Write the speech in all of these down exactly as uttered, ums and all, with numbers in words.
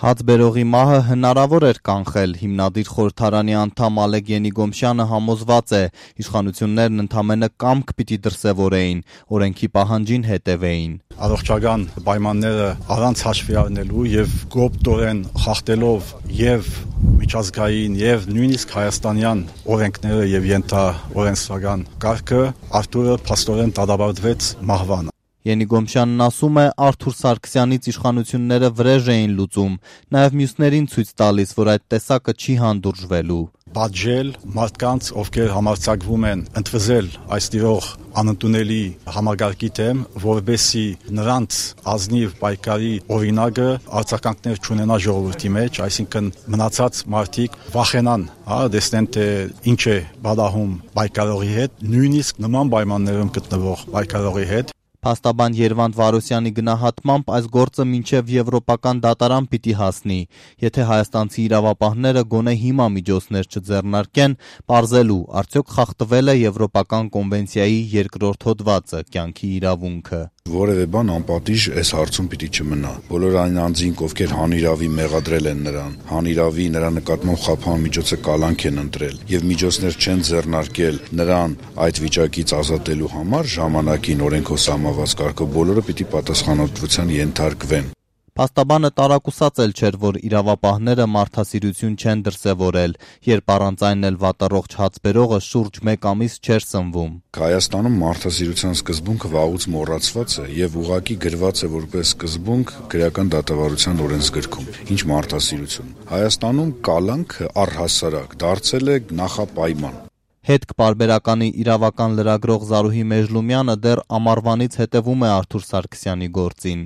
Հացբերողի մահը հնարավոր էր կանխել, հիմնադիր խորհրդարանի անդամ Ալեկ Ենիգոմշյանը համոզված է, իշխանություններն ընդամենը կամք պիտի դրսևորեին, օրենքի պահանջին հետևեին։ Առողջական պայմանները առանց հաշվի առնելու եւ կոպտորեն խախտելով եւ միջազգային եւ նույնիսկ հայաստանյան օրենքները եւ ենթաօրենսդրական կարգը Արթուրը փաստորեն դատապարտվեց մահվան։ Ենիգոմշյանն ասում է, Արթուր Սարգսյանից իշխանությունները վրեժ էին լուծում, նաև մյուսներին ցույց տալիս, որ այդ տեսակը չի հանդուրժվելու։ Պատժել մարդկանց, ովքեր համարձակվում են ընդվզել այս տիրող անընդունելի համագարկի դեմ, որովհետեւ նրանց ազնիվ պայքարի օրինակը արձագանքներ չունենա ժողովրդի մեջ, այսինքն մնացած մարդիկ վախենան, հա, տեսնեն թե ինչ է բադահում պայքարողի հետ, նույնիսկ նման պայմաններում գտնվող պայքարողի հետ։ Փաստաբան Երվանդ Վարոսյանի գնահատմամբ այս գործը մինչև եվրոպական դատարան պիտի հասնի, եթե հայաստանցի իրավապահները գոնե հիմա միջոցներ չձեռնարկեն, պարզելու, արդյոք խախտվել է եվրոպական կոնվենցիայի երկրորդ հոդվածը, կյանքի իրավունքը։ Որևէ բան անպատիժ այս հարցում պիտի չմնա։ Բոլոր այն անձինք, ովքեր հանիրավի մեղադրել են նրան, հանիրավի նրա նկատմամբ խափան միջոցը կալանք են ընտրել եւ միջոցներ չեն ձեռնարկել նրան այդ վիճակից ազատելու համար, ժամանակին օրենքով սահմանված կարգով բոլորը պիտի պատասխանատվության ենթարկվեն։ Փաստաբանը տարակուսած էլ չէր, որ իրավապահները մարդասիրություն չեն դրսևորել, երբ առանց այն էլ վատառողջ հացբերողը շուրջ մեկ ամիս չէր սնվում։ Հայաստանում մարդասիրության սկզբունքը վաղուց մոռացված է եւ ուղղակի գրված է որպես սկզբունք գրական դատավարության օրենսգրքում։ Ինչ մարդասիրություն։ Հայաստանում կալանքը առհասարակ դարձել է նախապայման։ Հետք պարբերականի իրավական լրագրող Զարուհի Մեժլումյանը դեռ ամառվանից հետևում է Արթուր Սարգսյանի գործին։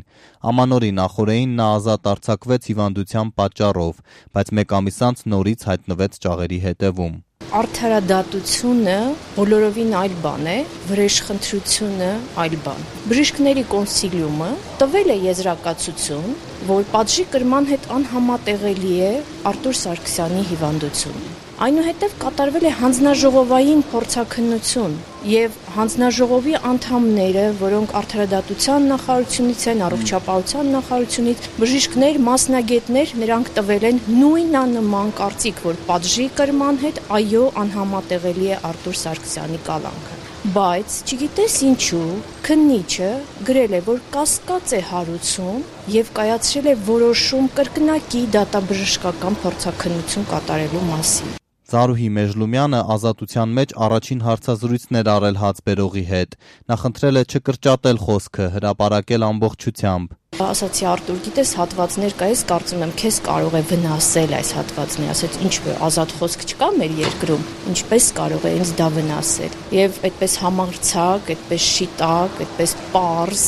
Ամանորի նախօրեին նա ազատ արձակվեց հիվանդության պատճառով, բայց մեկ ամիս անց նորից հայտնվեց ճաղերի հետևում։ Արդարադատությունը բոլորովին այլ բան է, վրեժխնդրությունը այլ բան։ Բժիշկների կոնսիլիումը տվել է եզրակացություն, որ պատժի կրման հետ անհամատեղելի է Արթուր Սարգսյանի հիվանդությունը։ Այնուհետև կատարվել է հանձնաժողովային փորձաքննություն եւ հանձնաժողովի անդամները, որոնք արդարադատության նախարարությունից են, առողջապահության նախարարությունից, բժիշկներ, մասնագետներ, նրանք տվել են նույնանման կարծիք, որ պատժի կրման հետ այո անհամատեղելի է Արթուր Սարգսյանի կալանքը։ Բայց չգիտես ինչու քննիչը գրել է, որ կասկած է հարուցում եւ կայացրել է որոշում կրկնակի դատաբժշկական փորձաքննություն կատարելու մասին։ Զարուհի Մեժլումյանը ազատության մեջ առաջին հարցազրույցն էր արել հացբերողի հետ։ Նա խնդրել է չկրճատել խոսքը, հրապարակել ամբողջությամբ։ Ասացի Արթուր, գիտես հատվածներ կա, ես կարծում եմ քեզ կարող է վնասել այս հատվածները, ասեց ինչ որ ազատ խոսք չկա մեր երկրում, ինչպես կարող է ինձ դա վնասել։ Եվ այդպես համարձակ, այդպես շիտակ, այդպես պարզ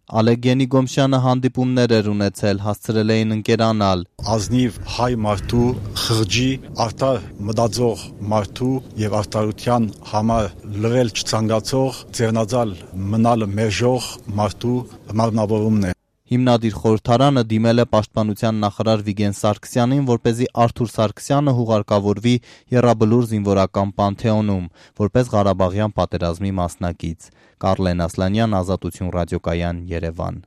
Ալեկ Ենիգոմշյանը հանդիպումներ էր ունեցել, հասցրել էին ընկերանալ։ Ազնիվ հայ մարդու, խղճի, արդար մտածող մարդու եւ արդարության համար լրել չցանկացող, ձեռնածալ մնալ մերժող մարդու մարմնավորումն է։ Հիմնադիր խորհրդարանը դիմել է պաշտպանության նախարար Վիգեն Սարգսյանին, որպեսզի Արթուր Սարգսյանը հուղարկավորվի Եռաբլուր զինվորական պանթեոնում, որպես Ղարաբաղյան պատերազմի մասնակից։ Կարլեն Ասլանյան, Ազատություն ռադիոկայան, Երևան։